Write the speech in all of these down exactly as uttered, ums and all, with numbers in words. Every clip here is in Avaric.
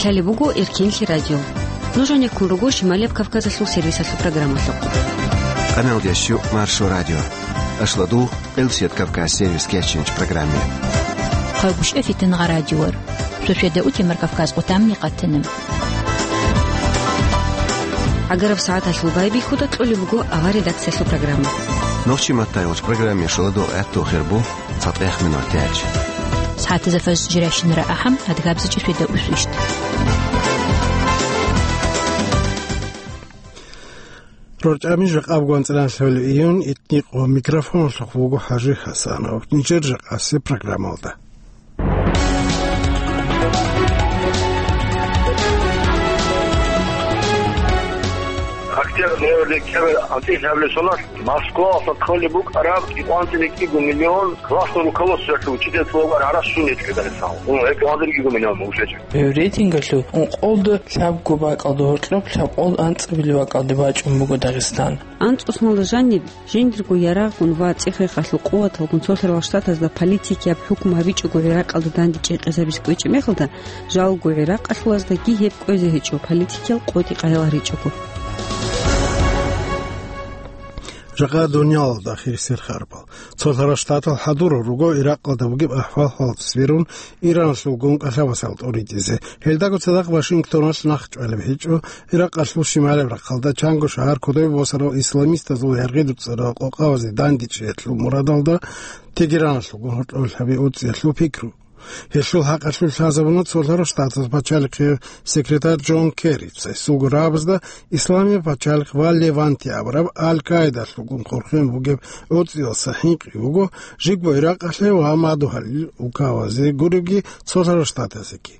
Гьале буго Эркинлъи радио. Нуж гьанеккун руго Шималияб Кавказалъул сервисалъул программалъухъ. Къаналдеш Маршо радио. Ашладу Къилсият Кавказ сервис кечинч программе. Хъагушев Фитнагъа радиор. Шошеда утемар Кавказ къутамни къатана. Агараб сагӀаталъул байбихьуда кьолеб буго авар редакциялъул программа. Нохчи маттайгъуч программе шуладул гӀатту хирбу. ЦатӀех минутач. СагӀатазда фаз жирашинара ахӀам, адгабзичӀи шведа усвищт. РорчӀами жакъаб гванцӀран лъолеб июнь итникъо микрофонлъухъ вуго ХӀажи Хасанов. Нижер жакъасе программалда. Октябрь, ноябрь, декабрь анцӀила гьабилеб соналъ Москваялъ кколеб букӀараб кӀикъоялда кӀиго миллион классный руководствоялъул учительзабазул гӀарац щун гьечӀо Дагъистаналъ. Гьекъон гьадурги миллион мужечин. Гьев рейтингалъул ункъолда лъабго бакӀалда гьоркьоб лъабкъоялда анцӀабилеб бакӀалде бачӀун буго Дагъистан. АнцӀусналда жаниб, жиндирго ярагъгун ва цӀех-рехалъул къуваталгун Цолъарал Штатазда политикияб хӀукму гьабичӀого ГӀиракъалда данде чӀекъезабизе кӀвечӀеб мехалда, жалго гӀиракъалъулаздаги гьеб кӀвезе гьечӀо, политикиял къотӀи къайгъаричӀого. Жакъа дуниялалда хирисел харпал. Цолъарал Штатал хӀадурал руго Иракъалда бугеб ахӀвал-хӀалалда сверун, Ираналъулгун кӀалъабасал тӀуритӀизе. Гьелдаго цадахъ Вашингтоналъ нахъ чӀвалеб гьечӀо, Иракъалъул шималаб рахъалда чанго шагьар кодобе босарал исламистазул гӀергъи дуцӀарал къокъабазе дандечӀеялъул мурадалда Тегераналъулгун гьоркьоб лъабе уцӀиялъул пикру. Гьелъул хӀакъалъулъ лъазабуна Цолъарал Штатазул пачалихъе секретарь Джон Керрица, гьесулго рагӀабазда Исламияб пачалихъ ва Леванте абураб Аль-Каидалъулгун хъорхъен бугеб гӀуцӀиялдаса хӀинкъи буго, жибго Иракъалъе ва мадугьалил улкабазе гуребги Цолъарал Штатазеги.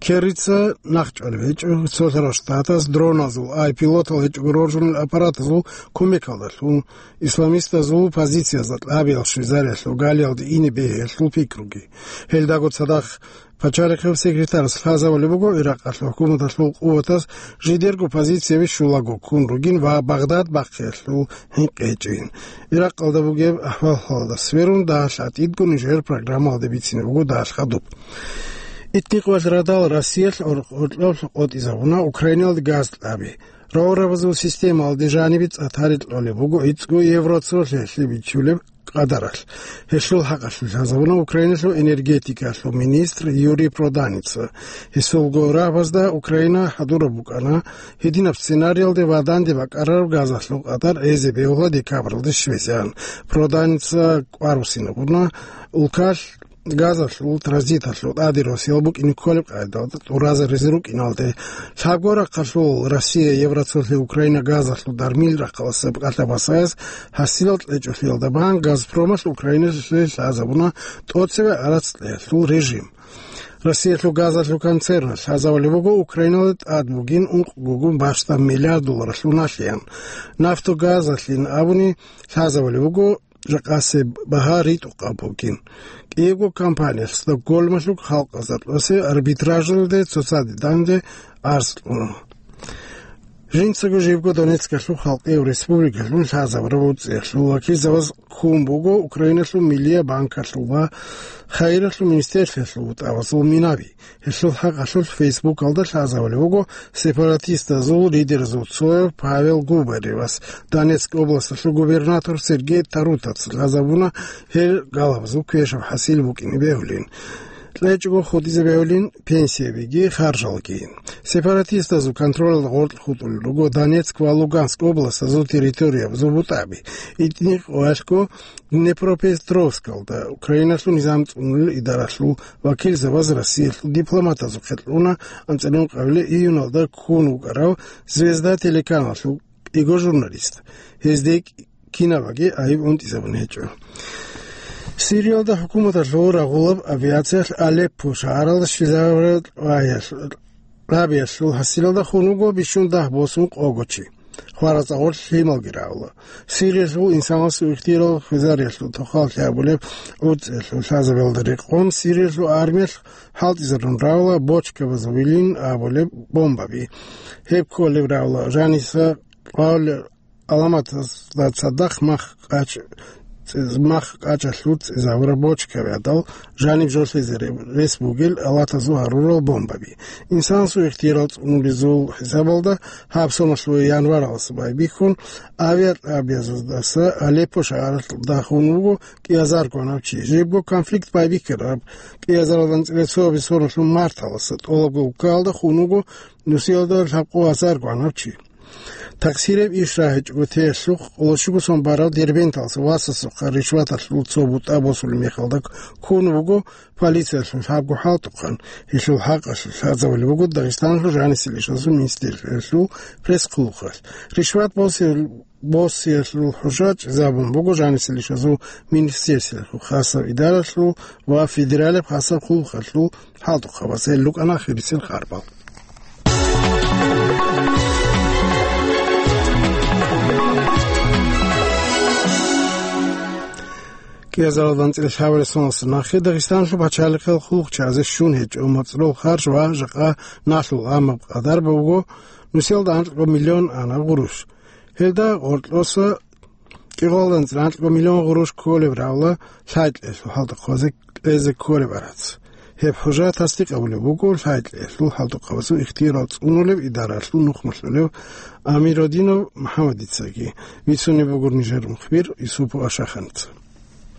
Керрица нахъ чӀвалеб гьечӀо, Цолъарал Штатаз дроназул, ай пилотал гьечӀого роржунел аппаратазул кумекалдалъун, исламистазул позициязда кьабиял Швейцариялъул галиялде ине бегьиялъул пикруги. Гьелдаго цадахъ пачалихъев секретарас лъазабулеб буго Иракъалъул хӀукуматалъул къуватаз жидерго позицияби щулаго ккун ругин ва Багъдад бахъиялъул хӀинкъи гьечӀин. Иракъалда бугеб ахӀвал-хӀалалда сверун, дагьалъ гӀатӀидго нижер программалда бицине буго дагьалъ хадуб. Итникъоялъ радал Россиялъ гьор-, гьоркьоб къотӀизабуна Украиналде газ кьаби. Рогъорабазул системалде жанибе цӀа тарикъ кьолеб буго гӀицӀго евроцолъиялъе бичулеб къадаралъ. Гьелъул хӀакъалъулъ лъазабуна Украиналъул энергетикалъул министр Юрий Проданица. Гьесулго рагӀабазда Украина хӀадураб букӀана гьединаб сценариялде ва данде бакӀарараб газалъул къадар гӀезе бегьула декабралде щвезегӀан. Проданица кӀвар буссинабуна улкалъ газалъул транзиталъул тӀаде росиялъ букӀине кколеб къайдалда тӀуразаризе рукӀиналде. Лъабго рахъалъул Россия евроцолъи Украина газалъул дармил рахъалъа кӀалъа басаяс гьасилал кьечӀолъиялда бан Газпромалъ Украиналъе лъазабуна тӀоцебе гӀарац кьеялъул режим. Россиялъул газалъул концерналъ лъазабулеб буго Украиналда тӀад бугин ункъго гун бащдаб миллиард долларалъул налъиян. Нафтогазалъин абуни лъазабулеб буго жакъасеб багьа ритӀухъаб бугин. КӀиябго компаниялъ Стокгольмалъул халкъазда тӀосе арбитражалде цоцаде данде арц кьуна. Жинцаго жибго Донецкалъул халкъияв республикалъун лъазабураб уцӀиялъул вакилзабаз ккун буго Украиналъул Миллияб банкалъул ва хайиралъул министрлъиялъул бутӀабазул минаби. Гьелъул хӀакъалъулъ Фейсбукалда лъазабулеб буго сепаратистазул лидеразул цояв Павел Губаревас, Донецк областалъул губернатор Сергей Тарутаца лъазабуна гьел галабазул квешаб хӀасил букӀине бегьулин. КьечӀого хутӀизе бегьулин пенсиябиги харжалги. Сепаратистазул контролалда гъоркь хутӀулел руго Донецк ва Луганск областазул территориябазул бутӀаби. Итни къоялъго Днепропетровскалда Украиналъул низам цӀунулел идаралъул вакилзабаз Россиялъул дипломатазухъе кьуна анцӀила ункъабилеб июналда ккун вукӀарав Звезда телеканалъул кӀиго журналист. Гьезде кинабаги гӀайиб унтӀизабун гьечӀо. Сириялда хӀукуматалъул рагъулаб авиациялъ Алеппо шагьаралда щвезабураб лъабиялъул хӀасилалда хун вуго бищун дагь босун къого чи. ХварацӀа гъорлъ лъималги рагӀула. Сириялъул инсанасул ихтияр хвезариялъул тухаллъи абулеб гӀуцӀиялъул лъазабиялда рекъон Сириялъул армиялъ хӀалтӀизарун рагӀула бочкабазулин абулеб бомбаби. Гьеб кколеб рагӀула жаниса кьвавлеб гӀаламатазда цадахъ мах къачӀ цӀи-, мах кӀачалъур цӀизабураб бочкаби гӀадал жаниб жолъизе ре-, рес бугел алатазул гьарурал бомбаби. Инсанасул ихтиярал цӀунулезул хӀисабалда гьаб соналъул январалдаса байбихьун, авиакьабиязулдаса Алеппо шагьаралда хун вуго кӀиазарго набчи. Жибго конфликт байбихьараб кӀиазаралда анцӀила цоабилеб соналъул марталдаса тӀолабго улкалда хун вуго нусиялда лъабкъо азарго набчи. Такъсираб иш рагьичӀого теялъухъ, къоло щуго сон барав Дербенталдаса васасухъа ришваталъул цо бутӀа босулеб мехалда ккун вуго полициялъул лъабго хӀалтӀухъан. Гьелъул хӀакъалъулъ лъазабулеб буго Дагъистаналъул жанисел ишазул министерствоялъул пресс-хъулухъалъ. Ришват босиялъул хӀужа чӀезабун буго жанисел ишазул министерствоялъул хасаб идаралъул ва федералияб хасаб хъулухъалъул хӀалтӀухъабаз. Гьел рукӀана хирисел харбал. КӀиазаралда анцӀила лъабабилеб соналдаса нахъе Дагъистаналъул пачалихъал хъулухъчагӀазе щун гьечӀо моцӀрол харж ва жакъа налъул, амма къадар буго нусиялда анкьго миллион ана гъурущ. Гьелда гъоркьоса кӀикъоялда анцӀила анкьго миллион гъурущ кколеб равла лъай-кьеялъул хӀалтӀухъазе кьезе кколеб гӀарац. Гьеб хӀужа тасдикъ гьабулеб буго лъай-кьеялъул хӀалтӀухъабазул ихтиярал цӀунулеб идараялъул нухмалъулев Амиродинов МухӀаммадицаги. Бицунеб буго нижер мухбир Юсупов Ашаханица.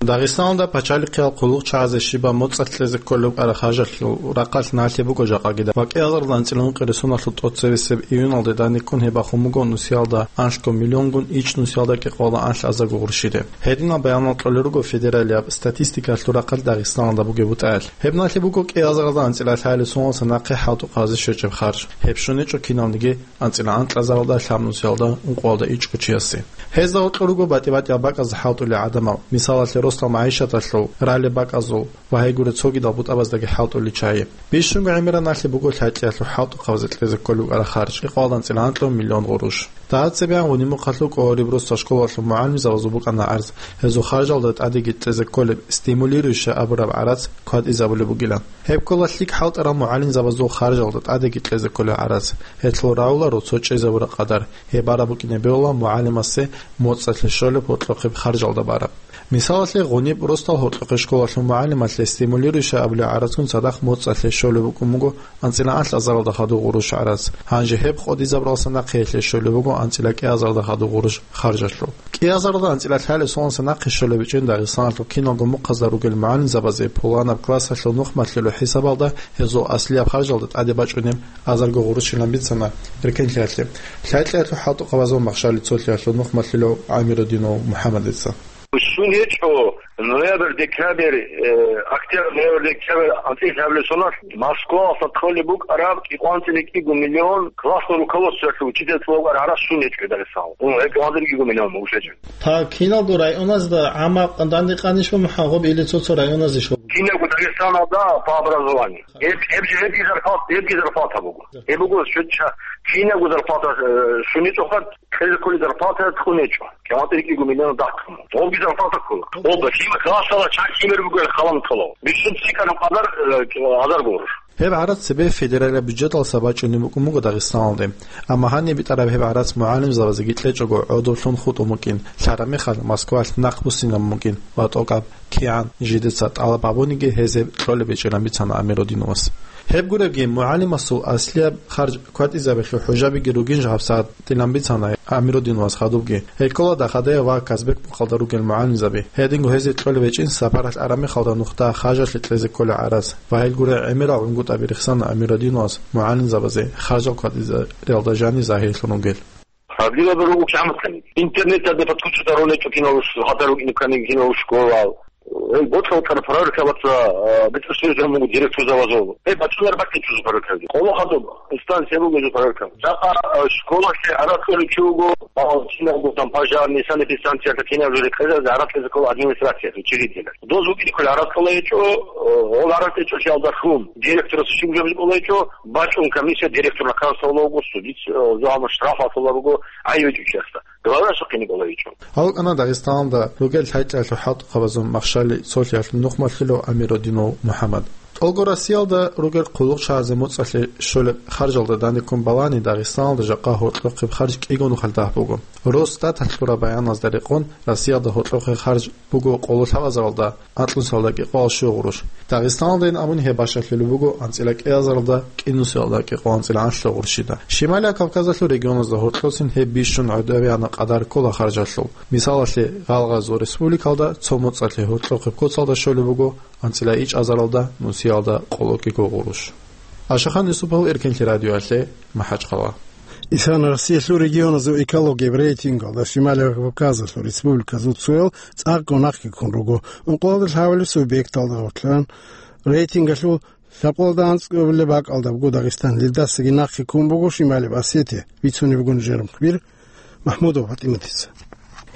Дагъистаналда пачалихъиял хъулухъчагӀазе щибаб моцӀалъ кьезе кколеб букӀараб харжалъул рахъалъ налъи буго жакъагида ва кӀиазаралда анцӀила ункъоялда соналъул тӀоцебесеб июналде данде ккун гьеб бахун буго нусиялда анлъго миллионгун, ичӀ нусиялда кӀикъоялда анлъазарго гъурущиде. Гьединал баянал кьолел руго федералияб статистикалъул рахъалъ Дагъистаналда бугеб бутӀаялъ. Гьеб налъи буго кӀиазаралда анцӀила лъабабилеб соналдаса нахъе хӀалтӀухъазе щвечӀеб харж. Гьеб щун гьечӀо киналниги анцӀила анкьазаралда, лъабнусиялда, ункъоялда ичӀго чиясе. Гьезда гьоркьор руго батӀи-батӀиял бакӀазда хӀалтӀулел гӀадамал, мисалалъе, росдал магӀишаталъул, ралеб бакӀазул ва гьей гуреб цогидал бутӀабаздаги хӀалтӀулел чагӀи. Бищунго гӀемераб налъи буго лъай-кьеялъул хӀалтӀухъабазе кьезе кколеб букӀараб харж, кӀикъоялда анцӀила анкьго миллион гъурущ. Дагьаб цебегӀан гъуниб мухъалъув кӀолареб росдал школалъул мугӀалимзабазул букӀана гӀарз, гьезул харжалда тӀадеги кьезе кколеб стимулирующая абураб гӀарац кватӀизабулеб бугилан. Гьеб ккола лъикӀ хӀалтӀарал мугӀалимзабазул харжалда тӀадеги кьезе кколел гӀарац. Гьелъул равларо цо чӀезабураб къадар, гьеб бараб букӀине бегьула мугӀалимасе моцӀалъе щолеб гьоркьохъеб харжалда бараб. Мисалалъе, гъуниб росдал гьоркьохъеб школалъул мугӀалималъе стимулирующая абулеб гӀарацгун цадахъ моцӀалъе щолеб букӀун буго анцӀила анлъазаралда хадуб гъурущ гӀарац. Гьанже гьеб къотӀизабуралдаса нахъе гьелъе щолеб буго анцӀила кӀиазаралда хадуб гъурущ харжалъул. КӀиазаралда анцӀила лъабабилеб соналдаса нахъе щолеб гьечӀин Дагъистаналъул киналго мухъазда ругел мугӀалимзабазе пуланаб классалъул нухмалъулев хӀисабалда гьезул аслияб харжалда тӀаде бачӀунеб азарго гъурущилан бицана эркенлъиялъе лъай-кьеялъул хӀалтӀухъабазул махщалил цолъиялъул нухмалъулев Амирудинов МухӀаммадица. Щун гьечӀо, ноябрь, декабрь, э, октябрь, ноябрь, декабрь анцӀила лъабабилеб соналъ Москвалъа кколеб букӀараб кӀикъоялда анцӀила кӀиго миллион классный руководствоялъул учительзабазул гӀарац щун гьечӀо Дагъистаналда. Гьеб кӀикъоялда анцӀила кӀиго миллион буго щвечӀеб. Та киналго районазда гӀаммаб данде къанищ ва мухӀагъуб или цо-цо районазде щолеб? Кинабго Дагъистаналда по образованию. Гьеб, гьеб жо, гьебги зарплата, гьебги зарплата буго. Гьеб буго щвечӀеб, кинабго зарплата, э, щун гьечӀоха, кьезе кколеб зарплата кьун гьечӀо. КӀикъоялда анцӀила кӀиго миллион дахъун. Гьебги зарплата ккола. Гьеб лъим-, классалда чан лъимер бугеб халан ккола. Бищун цӀикӀкӀараб къадар, э, азарго гъурущ. Гьеб гӀарац цебе федералияб бюджеталдаса бачӀунеб букӀун буго Дагъистаналде. Амма гьаниб битӀараб гьеб гӀарац мугӀалимзабазеги кьечӀого гӀодоблъун хутӀун букӀин, лъараб мехалъ Москваялъ нахъ буссинабун букӀин ва тӀокӀаб кигӀан жидеца тӀалаб гьабуниги гьез гьеб кьолеб гьечӀилан бицана Амирудиновас. Гьеб гуребги, мугӀалимасул аслияб харж кватӀизабиялъул хӀужабиги ругин жагьаб сагӀат дилан бицана Амирудиновас хадубги. Гьел ккола Дахадаев ва Казбек мухъалда ругел мугӀалимзаби. Гьединго гьезие кьолеб гьечӀин сапаралъ араб мехалда нухда хажалъе кьезе кколел гӀарац. Ва гьел гурел гӀемерал гӀунгутӀаби рехсана Амирудиновас мугӀалимзабазе харжал кватӀизариялда жанир загьирлъун ругел. Проблема буго кигӀан батани. Интернеталде подключиться гьарун гьечӀо киналго, гьадар вукӀине ккани киналго школал. Гьел бокьа-бокьараб проверка баца, а, бетӀер сверизабун буго директорзабазул. Гьеб бачӀунареб бакӀ гьечӀо проверказе. Къоло хадуб инстанция буго гьезул проверка. Жакъа, а, школалъе гӀарац кьолев чи вуго, а, кинабго там пожарный, санэпидстанциялъа кинаб жо рекъезазе гӀарац кьезе ккола администрациялъ, учредителялъ. Доз вукӀине кколеб гӀарац кьола гьечӀо, э, гьол гӀарац кьечӀолъиялда хьун директорасда щиб жо кьола гьечӀо, бачӀун комиссия директоралда хъарсавула вуго, судица, э, зугьама штраф гьабула вуго гӀайиб гьечӀев чиясда. Главврачасда хъине кӀола гьечӀо. Гьав вукӀана Дагъистаналда ругел лъай-кьеялъул хӀалтӀухъабазул махщалил цолъиялъул нухмалъулев Амирудинов МухӀаммад. ТӀолго Россиялда ругел хъулухъчагӀазе моцӀалъе щолеб харжалда данде ккун балани, Дагъистаналда жакъа гьоркьохъеб харж кӀиго нухалъ дагь буго. Росстаталъ кьураб баяназда рекъон, Россиялда гьоркьохъеб харж буго къоло лъабазаралда анкьнусиялда кӀикъоялда щуго гъурущ. Дагъистаналдайин абуни гьеб бащалъулеб буго анцӀила кӀиазаралда кӀинусиялда кӀикъоялда анцӀила гӀанлъи гъурущида. Шималияб Кавказалъул регионазда гьоркьоцин гьеб бищун гӀодовегӀанаб къадар ккола харжалъул. Мисалалъе, Гъалгъазул республикалда цо моцӀалъе гьоркьохъеб коцалда щолеб буго анцӀила ичӀазаралда нусиялда къоло кӀиго гъурущ. Ашахан Юсупов, Эркенлъи радиоялъе, МахӀачхъала. Исана Россиялъул регионазул экологияб рейтингалда Шималияб Кавказалъул республиказул цоял цӀакъго нахъе ккун руго. Ункъоялда лъабабилеб субъекталда гъорлъан рейтингалъул лъабкъоялда анцӀабилеб бакӀалда буго Дагъистан, гьелдасаги нахъе ккун буго Шималияб Осетия, бицунеб буго нижер мухбир МахӀмудова ПатӀиматица.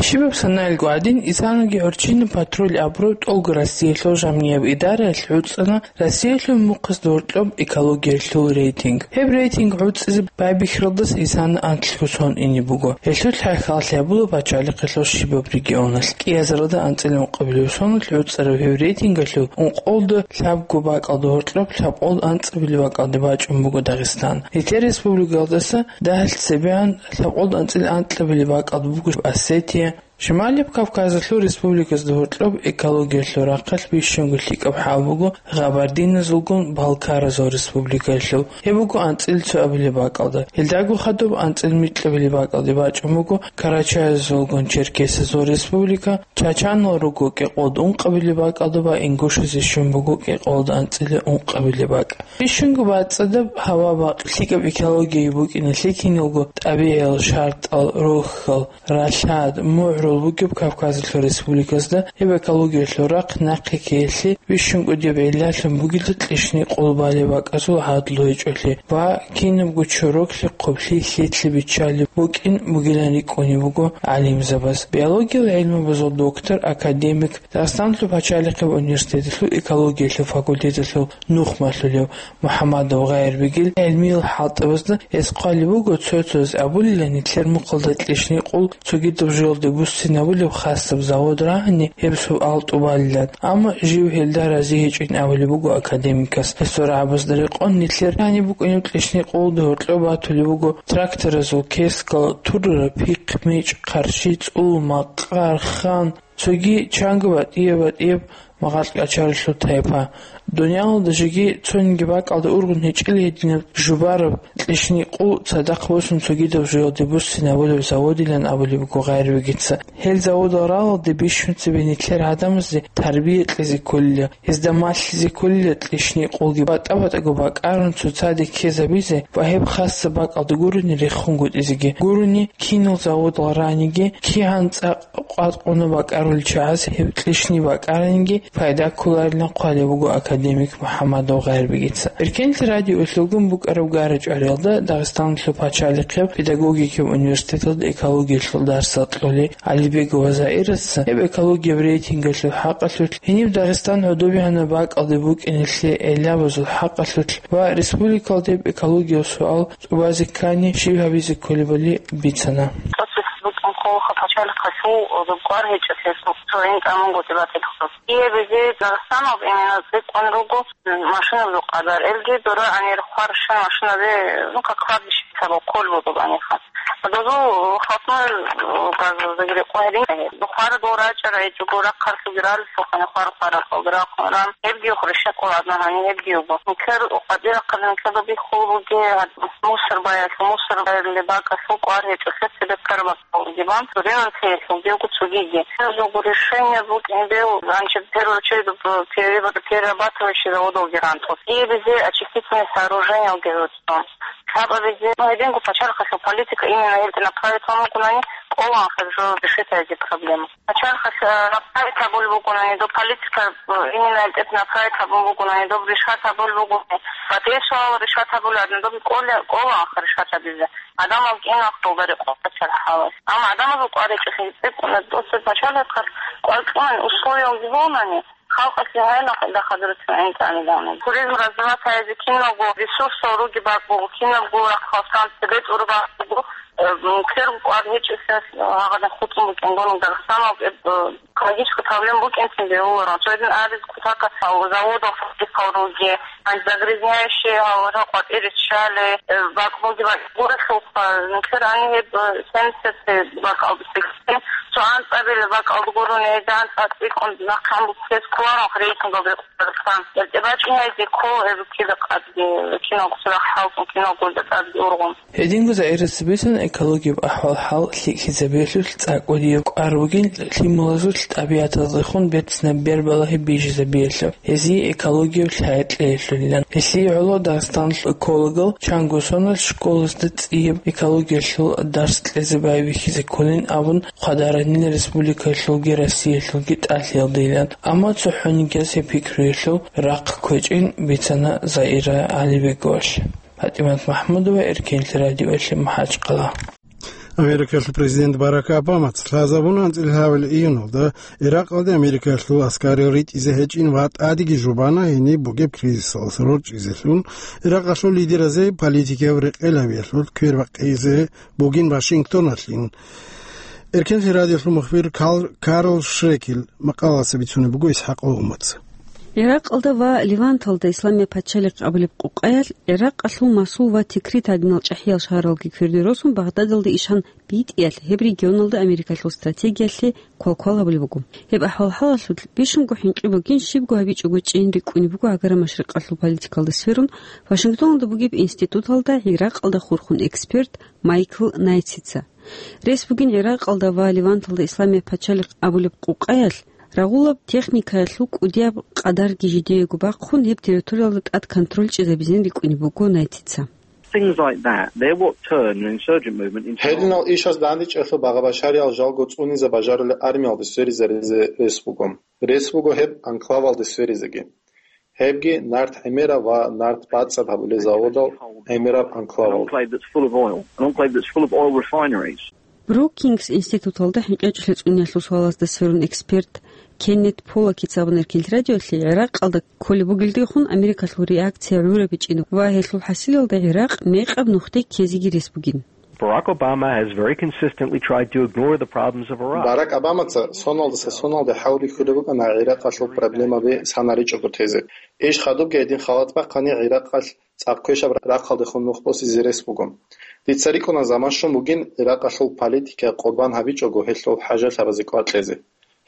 Щибаб санаялго гӀадин, исанаги гӀорччинаб патруль абураб ТӀолго Россиялъул жамгӀияб идараялъ гӀуцӀана Россиялъул мухъазда гьоркьоб экологиялъул рейтинг. Гьеб рейтинг гӀуцӀизе байбихьаралдаса исана анлъго сон ине буго. Гьелъул хӀалхьаллъи гьабула пачалихъалъул щибаб регионалъ. КӀиазаралда анцӀила ункъабилеб соналъ гӀуцӀараб гьеб рейтингалъул ункъоялда лъабго бакӀалда гьоркьоб лъабкъоялда анцӀабилеб бакӀалде бачӀун буго Дагъистан. Нилъер республикаялдаса дагьалъ цебегӀан лъабкъоялда анцӀила анкьабилеб бакӀалда буго Осетия. Шималияб Кавказалъул республиказда гьоркьоб экологиялъул рахъалъ бищунго лъикӀаб хӀал буго гъабардиназулгун балкаразул республикаялъул. Гьеб буго анцӀила цоабилеб бакӀалда. Гьелдаго хадуб анцӀила микьабилеб бакӀалде бачӀун буго карачаязулгун черкесазул республика, чачанал руго кӀикъоялда ункъабилеб бакӀалда ва ингушази щун буго кӀикъоялда анцӀила ункъабилеб бакӀ. Бищунго бацӀцӀадаб гьава-бакъ, лъикӀаб экология букӀиналъе киналго тӀабигӀиял шартӀал, рохьал, ралъад, мугӀрул бугеб Кавказалъул республиказда гьеб экологиялъул рахъ нахъе ккеялъе бищун кӀудияб гӀиллалъун бугила кьишни къул балеб бакӀазул гӀадлу гьечӀолъи ва кинабго чороклъи, хъублъи, лъилъи биччалеб букӀин бугилан рикӀкӀунеб буго гӀалимзабаз. Биологиял гӀилмабазул доктор, академик, Дагъистаналъул пачалихъеб университеталъул экологиялъул факультеталъул нухмалъулев МухӀаммадов Гъайрбегил гӀилмиял хӀалтӀабазда гьес хъвалеб буго, цо-цояз абулилан, нилъер мухъалда кьишни къул цогидаб жоялде буссинабулеб хасаб завод рагьани, гьеб суал тӀубалилан. Амма жив гьелда рази гьечӀин абулеб буго академикас. Гьесул рагӀабазда рекъон, нилъер гьаниб букӀунеб кьишни къулда гьоркьоб батулеб буго тракторазул кескал, туррараб пихъ-мичӀ, хъарщи, цӀул, макъар, хан, цоги чанго батӀияб-батӀияб магъаркьачаралъул тайпа. Дуниялалда жеги цониги бакӀалда ургъун гьечӀел гьединаб жубараб кьишни къул цадахъ босун цогидаб жоялде буссинабулеб заводилан абулеб буго Гъайрбегица. Гьел заводал ралалде бищун цебе нилъер гӀадамазде тарбия кьезе кколила, гьезда малъизе кколила кьишни къулги, батӀа-батӀаго бакӀарун цоцаде ккезабизе ва гьеб хасаб бакӀалда гурони рехунгутӀизеги. Гурони кинал заводал раниги, кигӀан цӀакъ къватӀкъуна бакӀарулел чагӀаз гьеб кьишни бакӀараниги пайда кколарилан хъвалеб буго академик МухӀаммадов Гъайрбегица. Эркенлъи радиоялъулгун букӀараб гара-чӀвариялда Дагъистаналъул пачалихъеб педагогикаб университеталда экологиялъул дарсал кьолел ГӀалибегова Заирасца гьеб экологияб рейтингалъул хӀакъалъулъ, гьениб Дагъистан гӀодобегӀанаб бакӀалде букӀиналъе гӀиллабазул хӀакъалъулъ ва республикалда гьеб экологиял суал тӀубазе ккани, щиб гьабизе кколебали бицана. ТӀоцебесеб букӀин хъулухъа пачалихъалъул кӀвар гьечӀолъи, цо гӀин тӀамун гъутӀи батилъухъ. Гьеб гьезие Дагъистаналда именно цӀикӀкӀун руго машинабазул къадар. Элги дора гӀанир хварщан машиназе, ну, как кладбище сабаб хъул буго баниха. Дозул хасмал газаздаги рекъон гьедин. Хвара дол рачӀарай гьечӀого, рахъалъуги ралъухъани хвар-хварахъалда рахъун ран. Гьебги хурища къоладна гьани гьебги уго. Нилъер къватӀирахъалда нилъеда бихьул бугеб мусор баялъул, мусор баялъулеб бакӀалъул кӀвар гьечӀолъи цебе караб Диван, Диван цеялъулги буго цогиги. Цо жого решение букӀин бел, значит, первую очередь, пере-, перерабатывающий заводалги ран тӀо. И безе очистительное сооружениялги ран тӀо. Лъабабизе, ну, гьединго пачалихъалъул политика именно гьелде направить гьабун бугонани, кӀолаан хъаржо решить гьаризе проблема. Пачалихъалъ, э, направить гьабулеб бугонани, доб политика, э, именно гьелде направить гьабун бугонани, доб решать гьабулеб бугони, батӀиял суал решать гьабулеб гьадин, доб кӀола-, кӀолаан хъа решать гьабизе. Гьадамал кӀинахъ долда рекъон пачалихъалас. Амма гьадамазул кӀвар гьечӀолъи цӀикӀкӀуна, тӀоцебе пачалихъалъ кӀвар кьунани условиялги гьонани, халкъалъе гьайна дахъадур цин гӀинтӀани давна. Туризм развивать гьаризе киналго ресурсал руги бакӀ буго, кинабго рахъалсан цебе тӀур бакӀ буго, Э, м, квер кӀвар гьечӀелъас, э, гьагъадин хутӀун букӀин гурони Дагъистаналда, э, экологический проблема букӀин цин бегьуларо. Цойдин абиз кутакалъ заводал фабрикал руге, гьанже загрязняющие гьавурал къватӀире ччале, э, бакӀ буги бакӀ гурелъулха, нилъер гьаниб гьеб, э, семьдесят бакӀалда сексен, цо анцӀабилеб бакӀалда гурони, гьезда анцӀа цӀикӀкӀун нахъе гьаниб ккезе кколаро рейтингал рекъон. Дагъистан. Гьеб тӀибачӀи гьайзе ккола гьеб кида къадги, киналго цурахъ хӀалтӀун, киналго тӀадги ургъун. Гьединго ЗагӀира Цебесун экологияб ахӀвал-хӀал лъикӀлъизабиялъулъ цӀакъ кӀудияб кӀвар бугин лъималазулъ тӀабигӀатаздехун берцинаб бер балагьи бижизабиялъул, гьезие экологияб лъай кьеялъулилан. Гьелъие гӀоло Дагъистаналъул экологал чанго соналъ школазда цӀияб экологиялъул дарс кьезе байбихьизе кколин абун хъвадарани республикаялъулги Россиялъулги тӀалъиялдайилан. Амма цохӀонигияс гьеб пикруялъул рахъ кквечӀин бицана ЗагӀира ГӀалибеговалъ. ПатӀимат МахӀмудова, Эркенлъи радиоялъе, МахӀачкъала. Америкалъул президент Барак Обамаца лъазабуна анцӀила гьабил июналда Иракъалде Америкалъул аскарал ритӀизе гьечӀин ва тӀадеги жубана гьениб бугеб кризисалдаса рорчӀизелъун, Иракъалъул лидеразе политикияб рекъелабиялъул квер бакъизе бугин Вашингтоналъин. Эркенлъи радиолъул мухбир Кал-, Карл Шрекел макъалаца бицунеб буго ИсхӀакъ Умаца. Иракъалда ва Леванталда исламияб пачалихъ абулеб къукъаялъ, Иракъалъул Масул ва Тикрит гӀадинал чӀахӀиял шагьаралги кверде росун, Багъдадалде ишан битӀиялъ, гьеб регионалда Америкалъул стратегиялъе квалквал гьабулеб буго. Гьеб ахӀвал-хӀалалъулъ бищунго хӀинкъи бугин щибго гьабичӀого чӀейин рикӀкӀунеб буго гӀагара машрикъалъул политикалда сверун Вашингтоналда бугеб институталда Иракъалда хурхун эксперт Майкл Найтица. Рес бугин Иракъалда ва Леванталда исламияб пачалихъ абулеб къукъаялъ, рагъулаб техникаялъул кӀудияб къадарги жидеего бахъун, гьеб территориялда тӀад контроль чӀезабизин рикӀкӀунеб буго Найтица. Things like that, they're what turn an insurgent movement into Гьединал ишаз дандечӀелъул багъа-башариял жалго цӀунизе бажарулел армиялде сверизаризе рес буго. Рес буго гьеб анклавалде сверизеги. Гьебги нарт гӀемераб ва нарт бацӀцӀад гьабулел заводал гӀемераб анклавал. An enclave that's full of oil, an enclave that's full of oil refineries. Брукингс институталда хӀинкъичӀлъи цӀуниялъул суалазда сверун эксперт Кеннет Поллакица абуна Эркенлъи радиоялъе, Иракъалда кколеб бугелдехун Америкалъул реакция гӀурабичӀин ва гьелъул хӀасилалда Иракъ мекъаб нухде ккезеги рес бугин. Barack Obama has very consistently tried to ignore the problems of Iraq. Барак Обамаца соналдаса соналде хӀалбихьулеб букӀана Иракъалъул проблемаби санаричӀого тезе. Иш хадубги гьедин халат бахъани Иракъалъ цӀакъ квешаб рахъалдехун нух босизе рес буго. Дица рикӀкӀуна заман щун бугин Иракъалъул политика къурбан гьабичӀого гьелъул хӀажалъабазе кӀвар кьезе.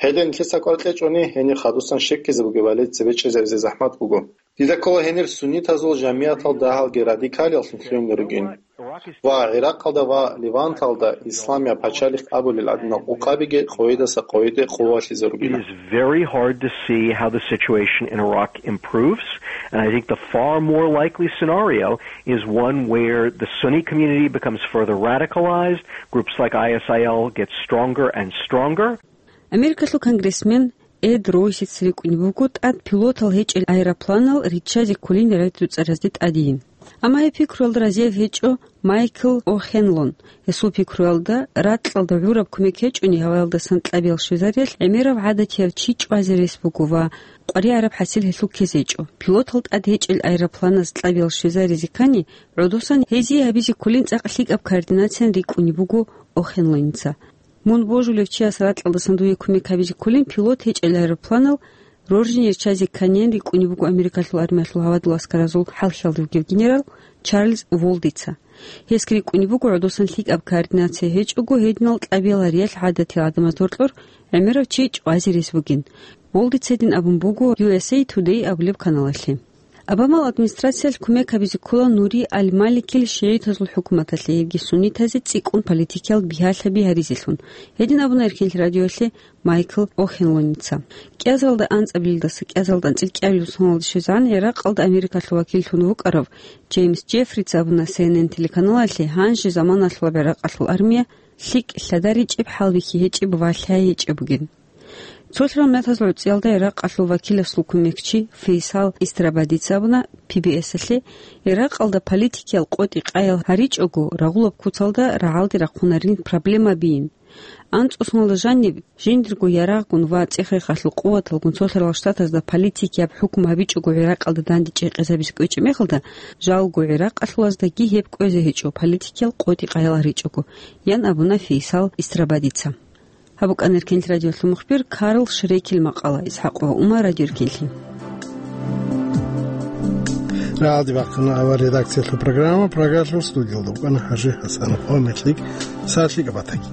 Гьедин нилъеца кӀвар кьечӀони, гьенир хадусан щеккизе бугебали цебе чӀезаризе захӀмат буго. Дида ккола гьенир суннитазул жамигӀатал дагьалги радикалияллъун лъугьунел ругин. Ва Иракъалда ва Леванталда исламияб пачалихъ абулел гӀадинал къукъабиги къойидаса къойиде къувалъизе It ругила. Is very hard to see how the situation in Iraq improves, and I think the far more likely scenario is one where the Sunni community becomes further radicalized, groups like I S I L get stronger and stronger. Америкалъул конгрессмен Эд Ройсица рикӀкӀунеб буго тӀад пилотал гьечӀел аэропланал риччазе кколин рагӀи-дуцӀаразде тӀадейин. Амма гьеб пикруялда разияб гьечӀо Майкл О'Хенлон. Гьесул пикруялда, ракьалда гӀураб кумек гьечӀони, гьаваялдасан кьабиял щвезариялъ гӀемераб гӀадатияв чи чӀвазе рес буго ва къваригӀараб хӀасил гьелъул ккезе гьечӀо. Пилотал тӀад гьечӀел аэропланаз кьабиял щвезаризе ккани, гӀодосан гьезие гьабизе кколин цӀакъ лъикӀаб координациян рикӀкӀунеб буго О'Хенлоница. Мун божулев чияс ракьалдасан дуе кумек гьабизе кколин пилот гьечӀел аэропланал роржине риччазе кканин рикӀкӀунеб буго Америкалъул армиялъул гьавадул аскаразул хӀалхьиялда вугев генерал Чарльз Волдица. Гьесги рикӀкӀунеб буго гӀодосан лъикӀаб координация гьечӀого гьединал кьабиялариялъ гӀадатиял гӀадамаз доркьор гӀемерав чи чӀвазе рес бугин. Волдица гьедин абун буго U S A Today абулеб каналалъе. Обамал администрациялъ кумек гьабизе ккола Нури аль-Маликил шигӀитазул хӀукуматалъе, гьебги суннитазе цӀикӀкӀун политикиял бигьалъаби гьаризелъун. Гьедин абуна Эркенлъи радиоялъе Майкл О'Хенлоница. КӀиазалда анцӀабилелдаса кӀиазалда анцӀил кӀиабилеб соналда щвезегӀан Иракъалда Америкалъул вакиллъун вукӀарав Джеймс Джеффрица абуна C N N телеканалалъе гьанже заманалъулаб Иракъалъул армия лъикӀ лъадаричӀеб, хӀалбихьи гьечӀеб ва лъай гьечӀеб бугин. Цолъарал мятазул гӀуцӀиялда Иракъалъул вакиласул кумекчи Фейсал Истрабадица абуна P B S-алъе, Иракъалда политикиял къотӀи-къаял гьаричӀого, рагъулаб куцалда рагӀалде рахъунарин проблемабийин. АнцӀусуналда жаниб, жиндирго ярагъгун ва цӀех-рехалъул къуваталгун цо лъарал штатазда политикияб хӀукму гьабичӀого ГӀиракъалда данде чӀекъезабизе кӀвечӀеб мехалда, жалго ГӀиракъалъулаздаги гьеб кӀвезе гьечӀо, политикиял къотӀи-къаялал ричӀого, ян абуна Фейсал Истрабадица. Гьаб букӀана Эркенлъи радиолъул мухбир Карл Шрекел макъала, ИсхӀакъ ва Умар, Радио Эркенлъи. Рагьалде бахъана авар редакциялъул программа, Прагалъул студиялда вукӀана ХӀажи ХӀасанов. Гьомерлъи, сахлъи габатаги.